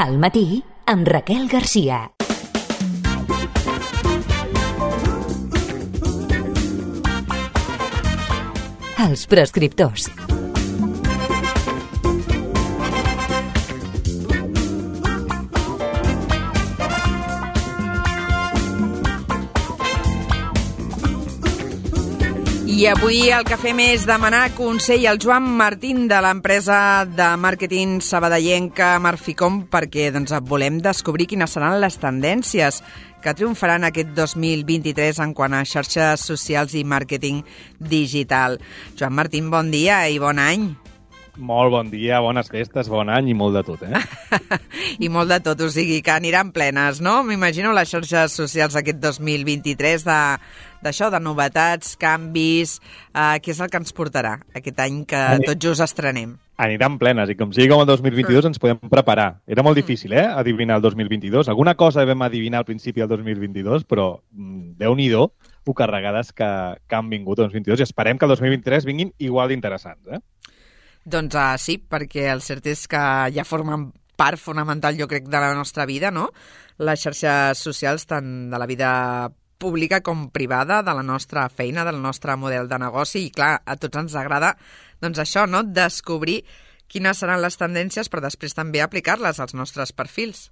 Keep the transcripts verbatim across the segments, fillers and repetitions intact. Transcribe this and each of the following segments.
Al matí, amb Raquel Garcia. Els prescriptors. I avui el que fem és demanar consell al Joan Martín de l'empresa de màrqueting sabadellenca Marficom perquè doncs, volem descobrir quines seran les tendències que triomfaran aquest dos mil vint-i-tres en quant a xarxes socials i màrqueting digital. Joan Martín, bon dia i bon any. Molt bon dia, bones festes, bon any i molt de tot, eh? I molt de tot, o sigui que aniran plenes, no? M'imagino les xarxes socials aquest dos mil vint-i-tres de, d'això, de novetats, canvis, eh, què és el que ens portarà aquest any que Ani... tot just estrenem? Aniran plenes, i com sigui com el dos mil vint-i-dos ens podem preparar. Era molt difícil, eh, adivinar el dos mil vint-i-dos. Alguna cosa vam adivinar al principi del dos mil vint-i-dos, però mm, Déu-n'hi-do, ho carregades que, que han vingut el dos mil vint-i-dos, i esperem que el dos mil vint-i-tres vinguin igual d'interessants, eh? Doncs uh, sí, perquè el cert és que ja formen part fonamental, jo crec, de la nostra vida, no? Les xarxes socials, tant de la vida pública com privada, de la nostra feina, del nostre model de negoci, i clar, a tots ens agrada doncs això, no? Descobrir quines seran les tendències, però després també aplicar-les als nostres perfils.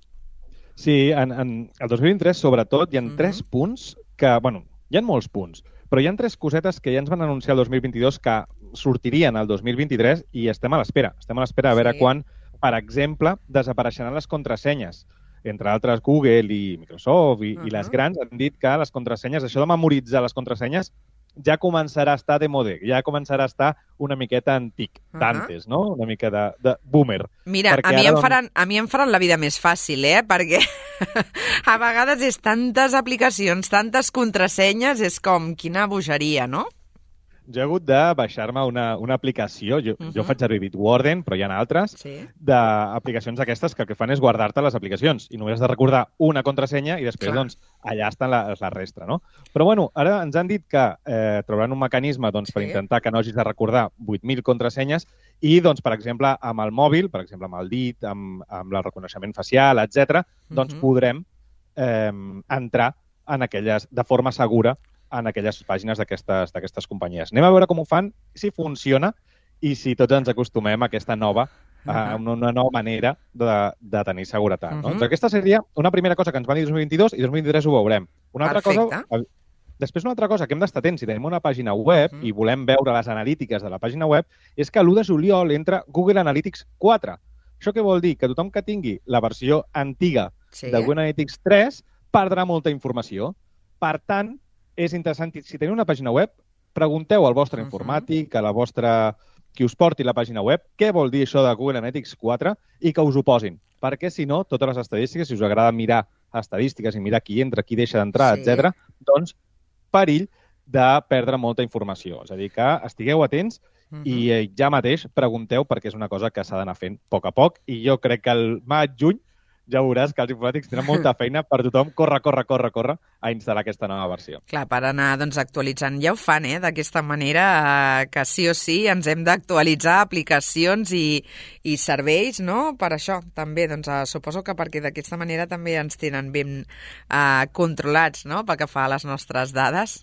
Sí, en, en el dos mil vint-i-tres, sobretot, hi ha mm-hmm. tres punts que, bueno, hi ha molts punts, però hi ha tres cosetes que ja ens van anunciar el dos mil vint-i-dos que sortirien el dos mil vint-i-tres i estem a l'espera. Estem a l'espera a veure sí. quan, per exemple, desapareixeran les contrasenyes. Entre altres, Google i Microsoft i, uh-huh. i les grans han dit que les contrasenyes, això de memoritzar les contrasenyes, ja començarà a estar de mode, ja començarà a estar una miqueta antic, uh-huh. d'antes, no? Una mica de, de boomer. Mira, a mi, ara, em faran, a mi em faran la vida més fàcil, eh? Perquè a vegades és tantes aplicacions, tantes contrasenyes, és com quina bogeria, no? Jo he hagut de baixar-me una, una aplicació, jo, uh-huh. jo faig servir Bitwarden, però hi ha altres, sí. d'aplicacions aquestes que el que fan és guardar-te les aplicacions i només has de recordar una contrasenya i després doncs, allà està la, la resta, no? Però bueno, ara ens han dit que eh, trobaran un mecanisme doncs, per sí. intentar que no hagis de recordar vuit mil contrasenyes i, doncs, per exemple, amb el mòbil, per exemple, amb el dit, amb, amb el reconeixement facial, etcètera, doncs uh-huh. podrem eh, entrar en aquelles, de forma segura en aquelles pàgines d'aquestes d'aquestes companyies. Anem a veure com ho fan, si funciona i si tots ens acostumem a aquesta nova, uh-huh. a una nova manera de, de tenir seguretat. No? Uh-huh. Doncs aquesta seria una primera cosa que ens van dir dos mil vint-i-dos i dos mil vint-i-tres ho veurem. Una altra Perfecte. cosa, després una altra cosa que hem d'estar atents si tenim una pàgina web uh-huh. i volem veure les analítiques de la pàgina web és que l'u de juliol entra Google Analytics quatre. Això què vol dir? Que tothom que tingui la versió antiga sí. de Google Analytics tres perdrà molta informació. Per tant, és interessant, si teniu una pàgina web, pregunteu al vostre uh-huh. informàtic, a la vostra, qui us porti la pàgina web, què vol dir això de Google Analytics quatre i que us ho posin. Perquè, si no, totes les estadístiques, si us agrada mirar estadístiques i mirar qui entra, qui deixa d'entrar, sí. etcètera, doncs perill de perdre molta informació. És a dir, que estigueu atents uh-huh. i eh, ja mateix pregunteu perquè és una cosa que s'ha d'anar fent a poc a poc i jo crec que el maig, juny, ja veuràs que els informàtics tenen molta feina per tothom corre, corre, corre, corre a instal·lar aquesta nova versió. Clar, per anar doncs, actualitzant. Ja ho fan, eh? D'aquesta manera eh, que sí o sí ens hem d'actualitzar aplicacions i, i serveis, no? Per això, també. Doncs, eh, suposo que perquè d'aquesta manera també ens tenen ben eh, controlats, no? Pel que fa a les nostres dades.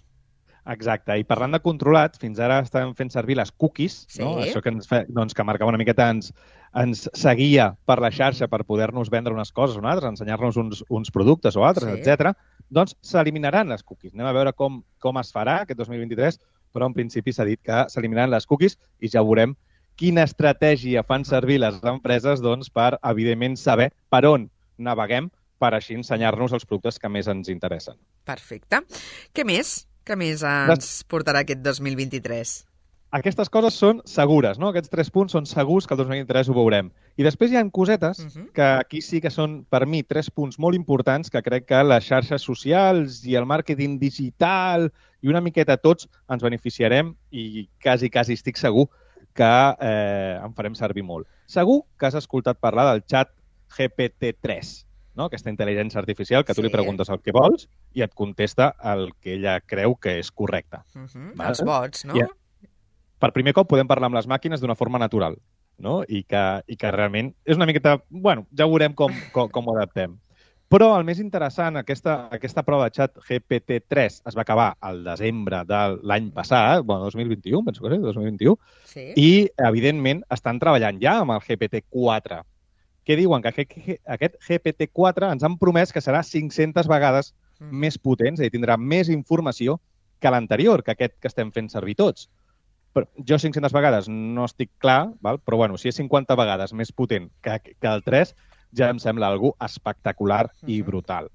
Exacte, i parlant de controlats, fins ara estàvem fent servir les cookies, sí. no? Això que ens, fe, doncs, que marcava una miqueta, ens, ens seguia per la xarxa per poder-nos vendre unes coses o unes altres, ensenyar-nos uns, uns productes o altres, sí. etcètera. Doncs s'eliminaran les cookies. Anem a veure com, com es farà aquest dos mil vint-i-tres, però en principi s'ha dit que s'eliminaran les cookies i ja veurem quina estratègia fan servir les empreses doncs, per, evidentment, saber per on naveguem per així ensenyar-nos els productes que més ens interessen. Perfecte. Què més? Què més ens portarà aquest dos mil vint-i-tres? Aquestes coses són segures, no? Aquests tres punts són segurs que el dos mil vint-i-tres ho veurem. I després hi ha cosetes uh-huh. que aquí sí que són, per mi, tres punts molt importants que crec que les xarxes socials i el màrqueting digital i una miqueta tots ens beneficiarem i quasi, quasi estic segur que eh, en farem servir molt. Segur que has escoltat parlar del xat G P T tres. No? Aquesta intel·ligència artificial que tu sí. li preguntes el que vols i et contesta el que ella creu que és correcte. Uh-huh. Els bots, no? I, per primer cop podem parlar amb les màquines d'una forma natural. no? I que, i que realment és una miqueta... Bueno, ja veurem com, com, com ho adaptem. Però el més interessant, aquesta, aquesta prova de xat G P T tres es va acabar al desembre de l'any passat, bueno, dos mil vint-i-u, penso que és, dos mil vint-i-u, sí. I, evidentment, estan treballant ja amb el G P T quatre. Què diuen? Que aquest G P T quatre ens han promès que serà cinc-centes vegades mm. més potent, és a dir, tindrà més informació que l'anterior, que aquest que estem fent servir tots. Però jo cinc-centes vegades no estic clar, val? Però bueno, si és cinquanta vegades més potent que, que el tres, ja em sembla algo espectacular i brutal.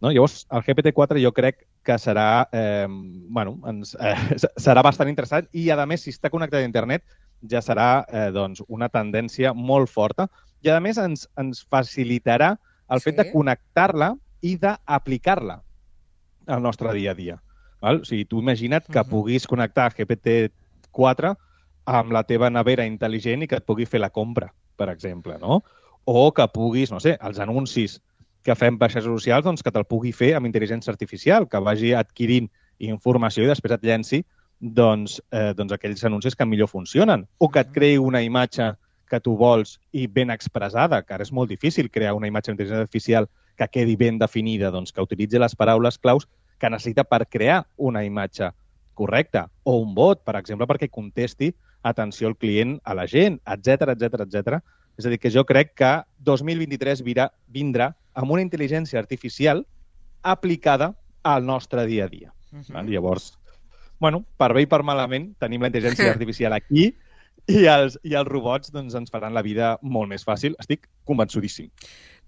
No? Llavors, el G P T quatre jo crec que serà, eh, bueno, ens, eh, serà bastant interessant i, a més, si està connectat a internet, ja serà eh, doncs, una tendència molt forta i, a més, ens, ens facilitarà el fet sí. de connectar-la i d'aplicar-la al nostre dia a dia. Val? O sigui, tu imagina't que uh -huh. puguis connectar G P T quatre amb la teva nevera intel·ligent i que et pugui fer la compra, per exemple, no? O que puguis, no sé, els anuncis que fem per xarxes socials, doncs que te'l pugui fer amb intel·ligència artificial, que vagi adquirint informació i després et llenci doncs, eh, doncs aquells anuncis que millor funcionen. O que et creï una imatge que tu vols i ben expressada, que ara és molt difícil crear una imatge d'intel·ligència artificial que quedi ben definida, doncs que utilitzi les paraules claus que necessita per crear una imatge correcta. O un bot, per exemple, perquè contesti atenció al client a la gent, etcètera, etcètera, etcètera. És a dir, que jo crec que dos mil vint-i-tres vindrà, vindrà amb una intel·ligència artificial aplicada al nostre dia a dia. Uh-huh. Llavors, bueno, per bé i per malament, tenim la intel·ligència artificial aquí i els, i els robots doncs, ens faran la vida molt més fàcil. Estic convençudíssim.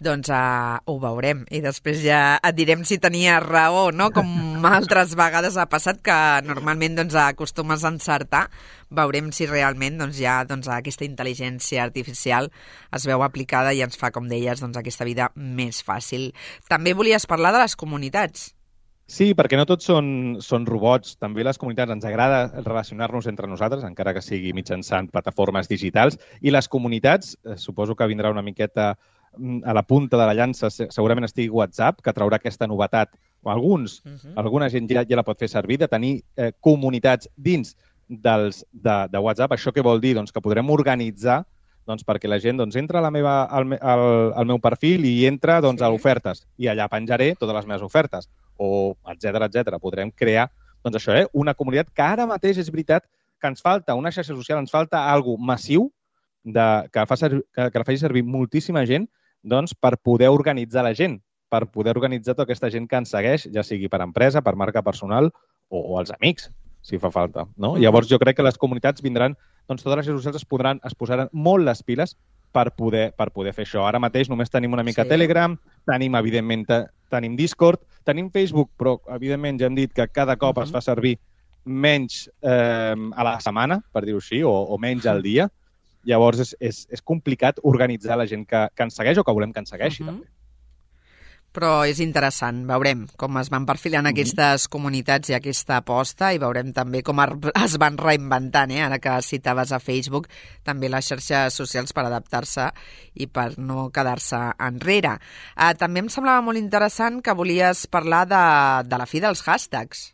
Doncs uh, ho veurem i després ja et direm si tenia raó, no? Com altres vegades ha passat, que normalment doncs, acostumes a encertar. Veurem si realment doncs, ja doncs, aquesta intel·ligència artificial es veu aplicada i ens fa, com deies, doncs, aquesta vida més fàcil. També volies parlar de les comunitats. Sí, perquè no tots són, són robots. També les comunitats ens agrada relacionar-nos entre nosaltres, encara que sigui mitjançant plataformes digitals. I les comunitats, eh, suposo que vindrà una miqueta a la punta de la llança, segurament estigui WhatsApp, que traurà aquesta novetat, o alguns, uh-huh. alguna gent ja, ja la pot fer servir, de tenir eh, comunitats dins dels, de, de WhatsApp. Això què vol dir? Doncs que podrem organitzar doncs, perquè la gent doncs, entra a la meva, al, al, al meu perfil i entra doncs, sí. a ofertes, i allà penjaré totes les meves ofertes, o etcètera, etcètera. Podrem crear doncs, això, eh, una comunitat que ara mateix és veritat que ens falta una xarxa social, ens falta algo massiu de, que, fa servir, que, que la faci servir moltíssima gent doncs, per poder organitzar la gent, per poder organitzar tota aquesta gent que ens segueix, ja sigui per empresa, per marca personal o, o els amics, si fa falta. No? Llavors, jo crec que les comunitats vindran, doncs totes les xarxes socials es, podran, es posaran molt les piles per poder, per poder fer això. Ara mateix només tenim una mica sí. Telegram, tenim, evidentment, tenim Discord, tenim Facebook, però, evidentment, ja hem dit que cada cop uh-huh. es fa servir menys eh, a la setmana, per dir-ho així, o, o menys al dia. Llavors, és, és, és complicat organitzar la gent que, que ens segueix o que volem que ens segueixi, uh-huh. també. Però és interessant, veurem com es van perfilant uh-huh. aquestes comunitats i aquesta aposta i veurem també com es van reinventant, eh? Ara que citaves a Facebook, també les xarxes socials per adaptar-se i per no quedar-se enrere. Uh, també em semblava molt interessant que volies parlar de, de la fi dels hashtags.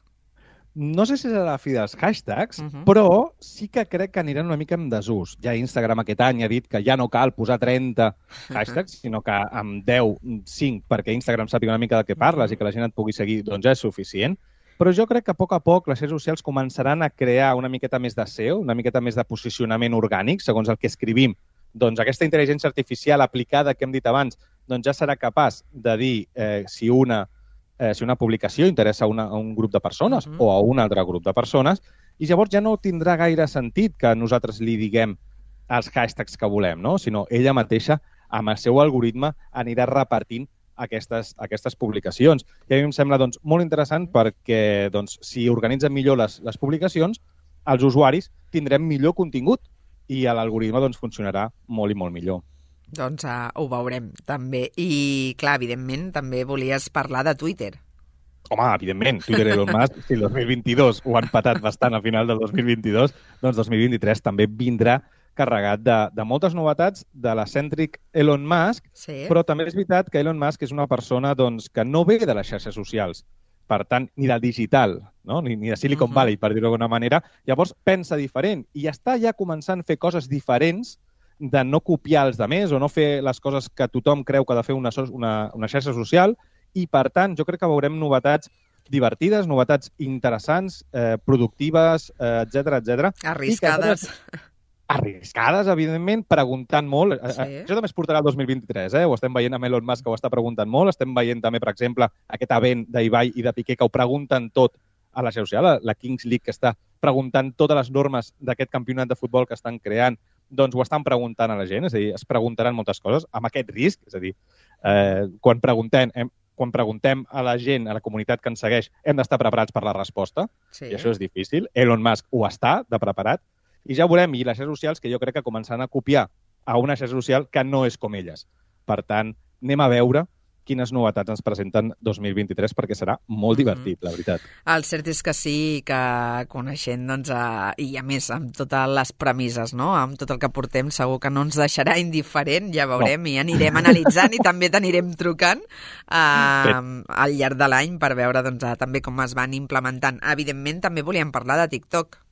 No sé si serà la fi dels hashtags, uh-huh. però sí que crec que aniran una mica en desús. Ja Instagram aquest any ha dit que ja no cal posar trenta hashtags, uh-huh. sinó que amb deu, cinc, perquè Instagram sàpiga una mica del que parles uh-huh. i que la gent et pugui seguir, doncs ja és suficient. Però jo crec que a poc a poc les xarxes socials començaran a crear una miqueta més de S E O, una miqueta més de posicionament orgànic, segons el que escrivim. Doncs aquesta intel·ligència artificial aplicada que hem dit abans, doncs ja serà capaç de dir eh, si una Eh, si una publicació interessa a, una, a un grup de persones uh-huh. o a un altre grup de persones, i llavors ja no tindrà gaire sentit que nosaltres li diguem els hashtags que volem, no? Sinó ella mateixa, amb el seu algoritme, anirà repartint aquestes, aquestes publicacions. I a mi em sembla doncs, molt interessant perquè doncs, si organitzen millor les, les publicacions, els usuaris tindrem millor contingut i l'algoritme doncs, funcionarà molt i molt millor. Doncs uh, ho veurem, també. I, clar, evidentment, també volies parlar de Twitter. Home, evidentment, Twitter i Elon Musk, si el dos mil vint-i-dos ho han patat bastant a final del dos mil vint-i-dos, doncs dos mil vint-i-tres també vindrà carregat de, de moltes novetats de l'excèntric Elon Musk, sí. Però també és veritat que Elon Musk és una persona doncs, que no ve de les xarxes socials, per tant, ni del digital, no? ni, ni de Silicon uh-huh. Valley, per dir-ho d'alguna manera. Llavors, pensa diferent i està ja començant a fer coses diferents de no copiar els demés o no fer les coses que tothom creu que ha de fer una, una, una xarxa social i, per tant, jo crec que veurem novetats divertides, novetats interessants, eh, productives, eh, etcètera, etcètera. Arriscades. Arriscades, evidentment, preguntant molt. Sí. Això també es portarà el dos mil vint-i-tres, eh? Ho estem veient amb Elon Musk, que ho està preguntant molt. Estem veient també, per exemple, aquest event d'Ibai i de Piqué, que ho pregunten tot a la xarxa social, la Kings League, que està preguntant totes les normes d'aquest campionat de futbol que estan creant, doncs ho estan preguntant a la gent, és a dir, es preguntaran moltes coses amb aquest risc, és a dir, eh, quan preguntem... Hem, quan preguntem a la gent, a la comunitat que ens segueix, hem d'estar preparats per la resposta, sí. I això és difícil. Elon Musk ho està, de preparat, i ja veurem, i les xarxes socials que jo crec que començaran a copiar a una xarxa social que no és com elles. Per tant, anem a veure quines novetats ens presenten dos mil vint-i-tres, perquè serà molt divertit, mm-hmm. la veritat. El cert és que sí, que coneixent, doncs, a, i a més, amb totes les premisses, no?, amb tot el que portem, segur que no ens deixarà indiferent, ja veurem, no. I anirem analitzant i també t'anirem trucant eh, al llarg de l'any per veure, doncs, també com es van implementant. Evidentment, també volíem parlar de TikTok.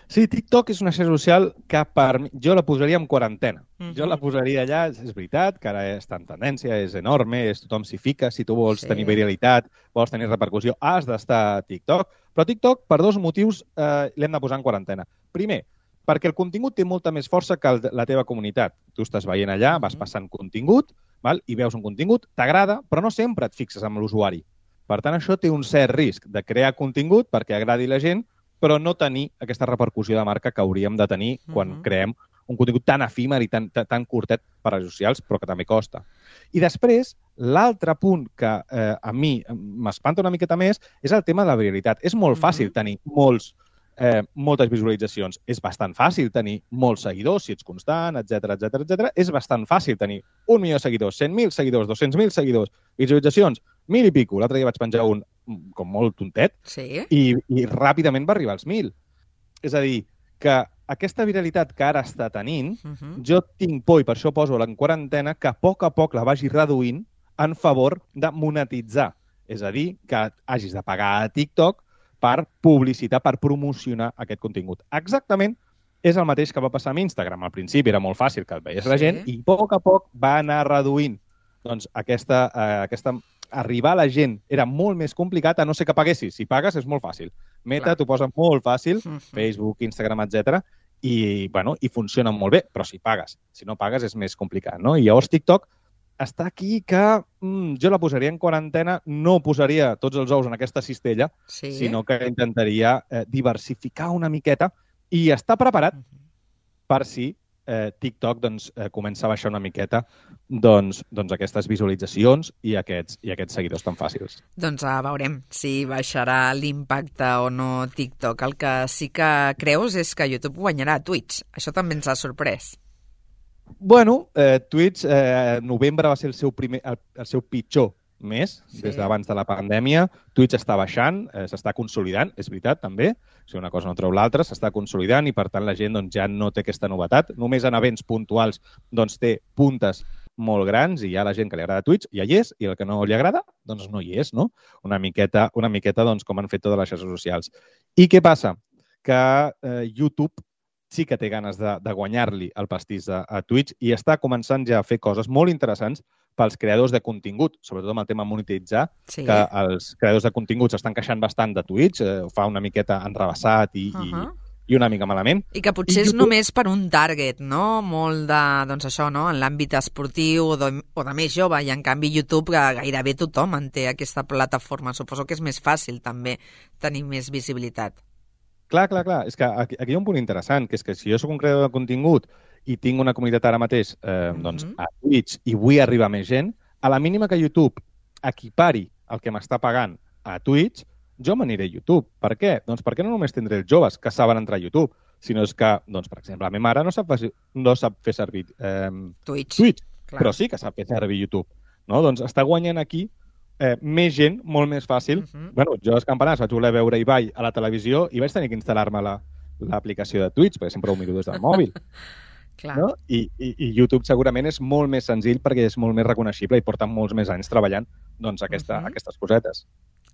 Sí, TikTok és una xarxa social que per mi, jo la posaria en quarantena. Uh-huh. Jo la posaria allà, és veritat, que ara està en tendència, és enorme, és tothom s'hi fica, si tu vols sí. tenir viralitat, vols tenir repercussió, has d'estar a TikTok. Però TikTok, per dos motius, eh, l'hem de posar en quarantena. Primer, perquè el contingut té molta més força que el, la teva comunitat. Tu estàs veient allà, uh-huh. vas passant contingut, val? I veus un contingut, t'agrada, però no sempre et fixes amb l'usuari. Per tant, això té un cert risc de crear contingut perquè agradi la gent, però no tenir aquesta repercussió de marca que hauríem de tenir quan uh-huh. creem un contingut tan efímer i tan, tan, tan curtet per a les socials, però que també costa. I després, l'altre punt que eh, a mi m'espanta una miqueta més és el tema de la viralitat. És molt fàcil uh-huh. tenir molts, eh, moltes visualitzacions. És bastant fàcil tenir molts seguidors, si ets constant, etcètera, etcètera, etcètera. És bastant fàcil tenir un milió de seguidors, cent mil seguidors, dos-cents mil seguidors, visualitzacions, mil i pico. L'altre dia vaig penjar un com molt tontet, sí. i, i ràpidament va arribar als mil. És a dir, que aquesta viralitat que ara està tenint, uh-huh. jo tinc por, i per això poso en quarantena, que a poc a poc la vagi reduint en favor de monetitzar. És a dir, que hagis de pagar a TikTok per publicitar, per promocionar aquest contingut. Exactament és el mateix que va passar amb Instagram. Al principi era molt fàcil que el veiés sí. la gent, i a poc a poc va anar reduint doncs, aquesta, eh, aquesta arribar a la gent era molt més complicat, a no ser que paguessis. Si pagues és molt fàcil. Meta t'ho posa molt fàcil, uh-huh. Facebook, Instagram, etcètera, i, bueno, i funciona molt bé, però si pagues. Si no pagues és més complicat, no? I llavors TikTok està aquí que mm, jo la posaria en quarantena, no posaria tots els ous en aquesta cistella, sí. sinó que intentaria eh, diversificar una miqueta i estar preparat uh-huh. per si eh, TikTok doncs, eh, comença a baixar una miqueta doncs, doncs aquestes visualitzacions i aquests, i aquests seguidors tan fàcils. Doncs uh, veurem si baixarà l'impacte o no TikTok. El que sí que creus és que YouTube guanyarà a Twitch. Això també ens ha sorprès. Bueno, eh, Twitch, eh, novembre va ser el seu, primer, el, el seu pitjor mes, sí. des d'abans de la pandèmia. Twitch està baixant, eh, s'està consolidant, és veritat, també. Si una cosa no treu l'altra, s'està consolidant i, per tant, la gent doncs, ja no té aquesta novetat. Només en events puntuals doncs, té puntes molt grans i hi ha la gent que li agrada Twitch, ja hi és, i el que no li agrada, doncs no hi és, no? Una miqueta, una miqueta doncs, com han fet totes les xarxes socials. I què passa? Que eh, YouTube sí que té ganes de, de guanyar-li el pastís a, a Twitch i està començant ja a fer coses molt interessants pels creadors de contingut, sobretot amb el tema monetitzar, sí. que els creadors de contingut s'estan queixant bastant de Twitch, eh, ho fa una miqueta enrebaçat i, uh-huh. i, i una mica malament. I que potser I és YouTube... només per un target, no? Molt de, doncs això, no? En l'àmbit esportiu o de, o de més jove, i en canvi YouTube gairebé tothom en té aquesta plataforma. Suposo que és més fàcil també tenir més visibilitat. Clar, clar, clar. És que aquí, aquí hi ha un punt interessant, que és que si jo soc un creador de contingut i tinc una comunitat ara mateix eh, mm-hmm. doncs, a Twitch i vull arribar a més gent, a la mínima que YouTube equipari el que m'està pagant a Twitch, jo m'aniré a YouTube. Per què? Doncs perquè no només tindré els joves que saben entrar a YouTube, sinó és que, doncs, per exemple, la meva mare no sap, no sap fer servir eh, Twitch, Twitch però sí que sap fer servir YouTube. No? Doncs està guanyant aquí Eh, més gent, molt més fàcil. Uh-huh. Bueno, jo als campionats vaig voler veure Ibai a la televisió i vaig tenir que instal·lar-me l'aplicació la, de Twitch, perquè sempre ho miro des del mòbil. Clar. No? I, i, I YouTube segurament és molt més senzill perquè és molt més reconeixible i porten molts més anys treballant doncs, aquesta, uh-huh. aquestes cosetes.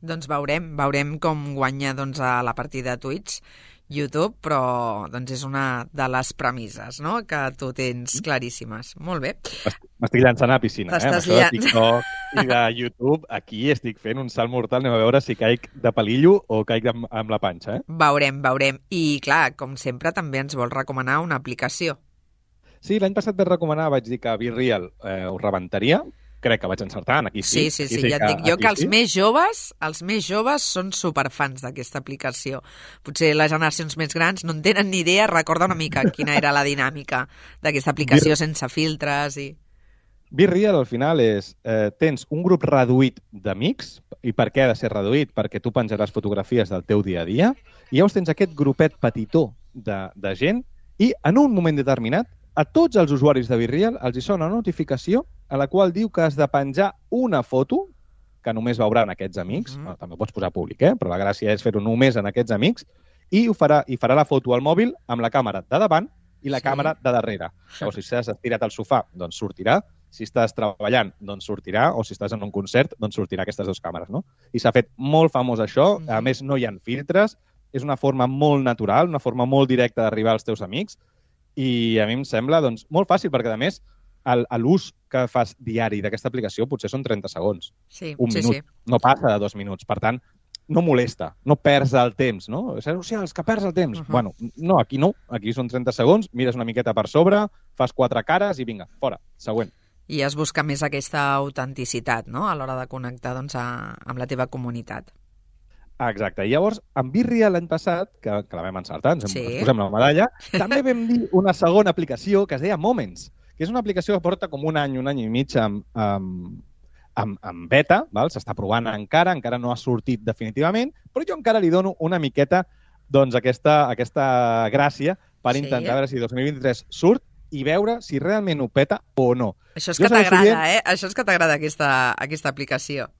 Doncs veurem, veurem com guanya doncs, a la partida de Twitch, YouTube, però doncs, és una de les premisses, no?, que tu tens claríssimes. Molt bé. M'estic llançant a la piscina, eh? Amb això de TikTok i de YouTube, aquí estic fent un salt mortal. Anem a veure si caic de palillo o caic amb, amb la panxa, eh? Veurem, veurem. I, clar, com sempre, també ens vols recomanar una aplicació. Sí, l'any passat vaig recomanar, vaig dir que BeReal eh, ho rebentaria. Crec que vaig encertar, aquí sí. Sí, sí, sí, sí, ja et dic jo que els sí. més joves, els més joves són superfans d'aquesta aplicació. Potser les generacions més grans no en tenen ni idea, recorda una mica quina era la dinàmica d'aquesta aplicació sense filtres i... BeReal, al final, és... Eh, tens un grup reduït d'amics, i per què ha de ser reduït? Perquè tu penjaràs fotografies del teu dia a dia, i llavors tens aquest grupet petitó de, de gent, i en un moment determinat, a tots els usuaris de BeReal els hi sona una notificació a la qual diu que has de penjar una foto que només veuran aquests amics. Mm-hmm. Bueno, també pots posar públic, eh? Però la gràcia és fer-ho només en aquests amics, i ho farà, i farà la foto al mòbil amb la càmera de davant i la sí. càmera de darrere. Llavors, si estàs estirat al sofà, doncs sortirà. Si estàs treballant, doncs sortirà. O si estàs en un concert, doncs sortirà aquestes dues càmeres, no? I s'ha fet molt famós això. Mm-hmm. A més, no hi ha filtres. És una forma molt natural, una forma molt directa d'arribar als teus amics. I a mi em sembla doncs, molt fàcil, perquè, a més, l'ús que fas diari d'aquesta aplicació potser són trenta segons. Sí, un sí, minut. Sí. No passa de dos minuts. Per tant, no molesta, no perds el temps, no? O sigui, els que perds el temps. Uh-huh. Bueno, no, aquí no. Aquí són trenta segons, mires una miqueta per sobre, fas quatre cares i vinga, fora. Següent. I es busca més aquesta autenticitat, no?, a l'hora de connectar doncs, a, amb la teva comunitat. Exacte. I llavors, amb BeReal l'any passat, que, que la vam encertar, ens, sí. ens posem la medalla, també vam dir una segona aplicació que es deia Moments, que és una aplicació que porta com un any, un any i mig amb, amb, amb, amb beta, val? S'està provant encara, encara no ha sortit definitivament, però jo encara li dono una miqueta doncs, aquesta, aquesta gràcia per sí. intentar veure si dos mil vint-i-tres surt i veure si realment ho peta o no. Això és jo que t'agrada, dient... eh? Això és que t'agrada aquesta, aquesta aplicació.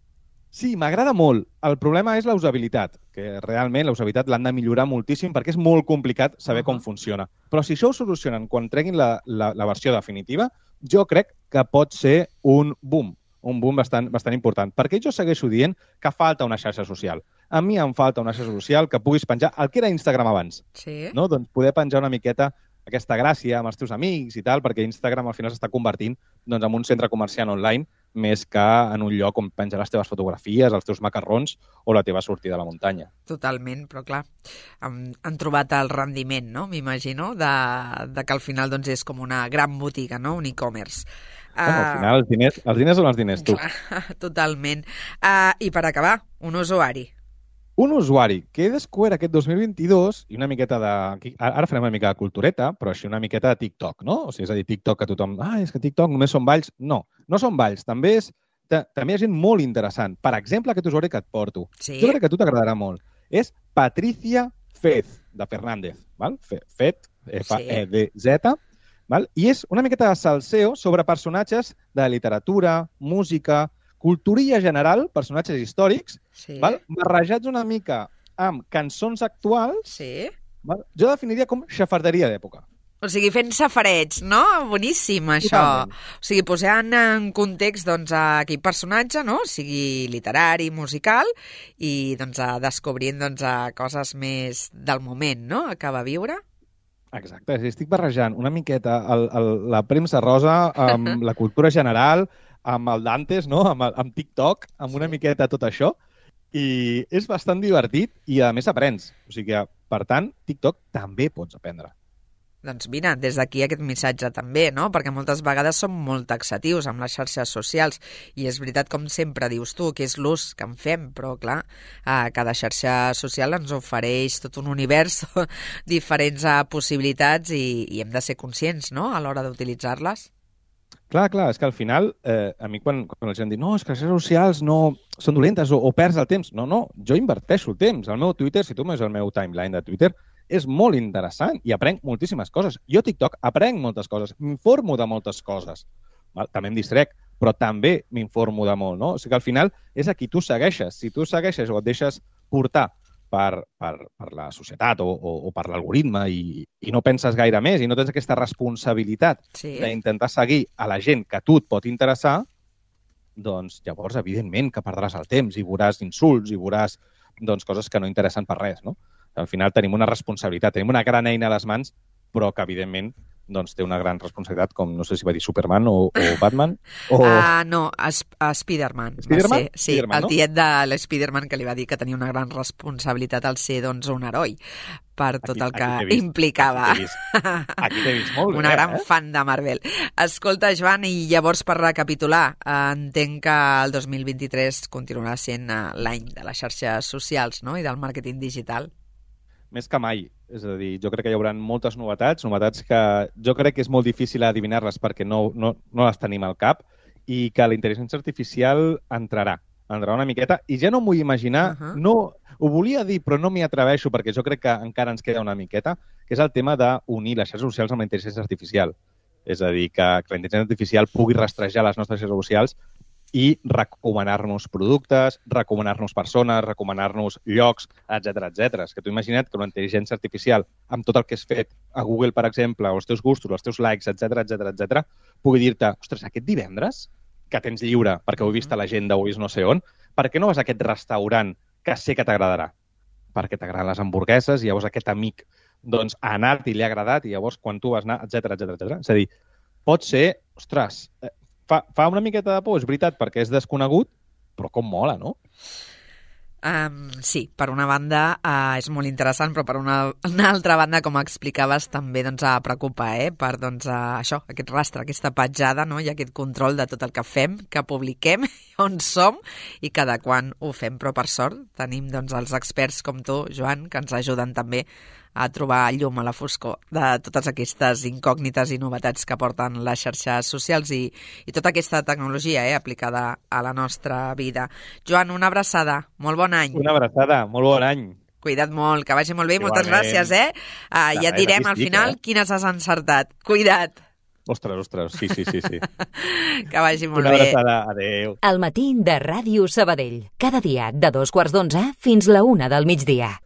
Sí, m'agrada molt. El problema és la usabilitat, que realment la usabilitat l'han de millorar moltíssim perquè és molt complicat saber uh-huh. com funciona. Però si això ho solucionen quan treguin la, la, la versió definitiva, jo crec que pot ser un boom, un boom bastant, bastant important. Perquè jo segueixo dient que falta una xarxa social. A mi em falta una xarxa social que puguis penjar el que era Instagram abans. Sí. No? Doncs poder penjar una miqueta aquesta gràcia amb els teus amics i tal, perquè Instagram al final s'està convertint doncs, en un centre comercial online més que en un lloc on penjar les teves fotografies, els teus macarrons o la teva sortida a la muntanya. Totalment, però clar, han, han trobat el rendiment, no?, m'imagino, de, de que al final doncs, és com una gran botiga, no?, un e-commerce. Bueno, uh, al final els diners, els diners són els diners, tu. Clar, totalment. Uh, I per acabar, un usuari. Un usuari que he descobert aquest dos mil vint-i-dos i una miqueta de... Ara farem una mica de cultureta, però així una miqueta de TikTok, no? O sigui, és a dir, TikTok que tothom... Ah, és que TikTok només són balls. No, no són balls. També, és, també hi ha gent molt interessant. Per exemple, aquest usuari que et porto. Sí. Jo crec que a tu t'agradarà molt. És Patricia Fez, de Fernández. Val? Fet, F E D Z. Val? I és una miqueta de salseo sobre personatges de literatura, música... culturilla general, personatges històrics, sí. val? Barrejats una mica amb cançons actuals, sí. val? Jo definiria com xafarderia d'època. O sigui, fent safarets, no? Boníssim, això. Totalment. O sigui, posant en context doncs, aquell personatge, no? O sigui, literari, musical, i doncs, descobrint doncs, coses més del moment, no?, que va viure. Exacte, estic barrejant una miqueta el, el, la premsa rosa amb la cultura general, amb el Dantes, no? amb, el, amb TikTok, amb una miqueta tot això, i és bastant divertit i, a més, aprens. O sigui que, per tant, TikTok també pots aprendre. Doncs mira, des d'aquí aquest missatge també, no? Perquè moltes vegades som molt taxatius amb les xarxes socials i és veritat, com sempre dius tu, que és l'ús que en fem, però clar, eh, cada xarxa social ens ofereix tot un univers, diferents eh, possibilitats i, i hem de ser conscients, no?, a l'hora d'utilitzar-les. Clar, clar, és que al final, eh, a mi quan, quan la gent diu no, és que les xarxes socials no són dolentes o, o perds el temps. No, no, jo inverteixo el temps. El meu Twitter, si tu veus el meu timeline de Twitter, és molt interessant i aprenc moltíssimes coses. Jo a TikTok aprenc moltes coses, m'informo de moltes coses. Val? També em distrec, però també m'informo de molt, no? O sigui que al final és a qui tu segueixes. Si tu segueixes o et deixes portar per, per, per la societat o, o, o per l'algoritme i, i no penses gaire més i no tens aquesta responsabilitat sí. d'intentar seguir a la gent que a tu et pot interessar, doncs llavors, evidentment, que perdràs el temps i veuràs insults i veuràs doncs, coses que no interessen per res, no? Al final tenim una responsabilitat, tenim una gran eina a les mans, però que, evidentment, doncs té una gran responsabilitat, com no sé si va dir Superman o, o Batman. O... Uh, no, es, a Spider-Man. Spider-Man? Va ser, sí, Spider-Man, el no? tiet de l'Spider-Man que li va dir que tenia una gran responsabilitat al ser doncs, un heroi per tot Aquí- el que aquí t'he vist, implicava. Aquí t'he vist, aquí t'he vist molt bé. Una gran eh? fan de Marvel. Escolta, Joan, i llavors per recapitular, eh, entenc que el dos mil vint-i-tres continuarà sent eh, l'any de les xarxes socials, no?, i del màrqueting digital. Més que mai. És a dir, jo crec que hi haurà moltes novetats, novetats que jo crec que és molt difícil adivinar-les perquè no, no, no les tenim al cap i que la intel·ligència artificial entrarà, entrarà una miqueta. I ja no m'ho vull imaginar, uh -huh. no, ho volia dir però no m'hi atreveixo perquè jo crec que encara ens queda una miqueta, que és el tema d'unir les xarxes socials amb la intel·ligència artificial. És a dir, que, que la intel·ligència artificial pugui rastrejar les nostres xarxes socials i recomanar-nos productes, recomanar-nos persones, recomanar-nos llocs, etcètera, etcètera. És que tu imagina't que una intel·ligència artificial, amb tot el que has fet a Google, per exemple, o els teus gustos, els teus likes, etcètera, etcètera, etcètera, pugui dir-te, ostres, aquest divendres, que tens lliure perquè ho he vist a l'agenda o he vist no sé on, per què no vas a aquest restaurant que sé que t'agradarà? Perquè t'agraden les hamburgueses i llavors aquest amic doncs, ha anat i li ha agradat i llavors quan tu vas anar, etcètera, etcètera, etcètera. És a dir, pot ser, ostres, Fa, fa una miqueta de por, és veritat, perquè és desconegut, però com mola, no? Um, sí, per una banda uh, és molt interessant, però per una, una altra banda, com explicaves, també doncs, uh, preocupa, eh? Per doncs, uh, això, aquest rastre, aquesta petjada, no? I aquest control de tot el que fem, que publiquem, on som i cada quan ho fem. Però per sort tenim doncs, els experts com tu, Joan, que ens ajuden també a trobar llum a la foscor de totes aquestes incògnites i novetats que porten les xarxes socials i, i tota aquesta tecnologia eh, aplicada a la nostra vida. Joan, una abraçada. Molt bon any. Una abraçada. Molt bon any. Cuida't molt, que vagi molt bé. Igualment. Moltes gràcies, eh? Uh, ja et direm al final eh? quines has encertat. Cuida't. Ostres, ostres, sí, sí, sí. sí. Que vagi molt una bé. Una abraçada. Adéu. El matí de Ràdio Sabadell. Cada dia de dos quarts d'onze fins la una del migdia.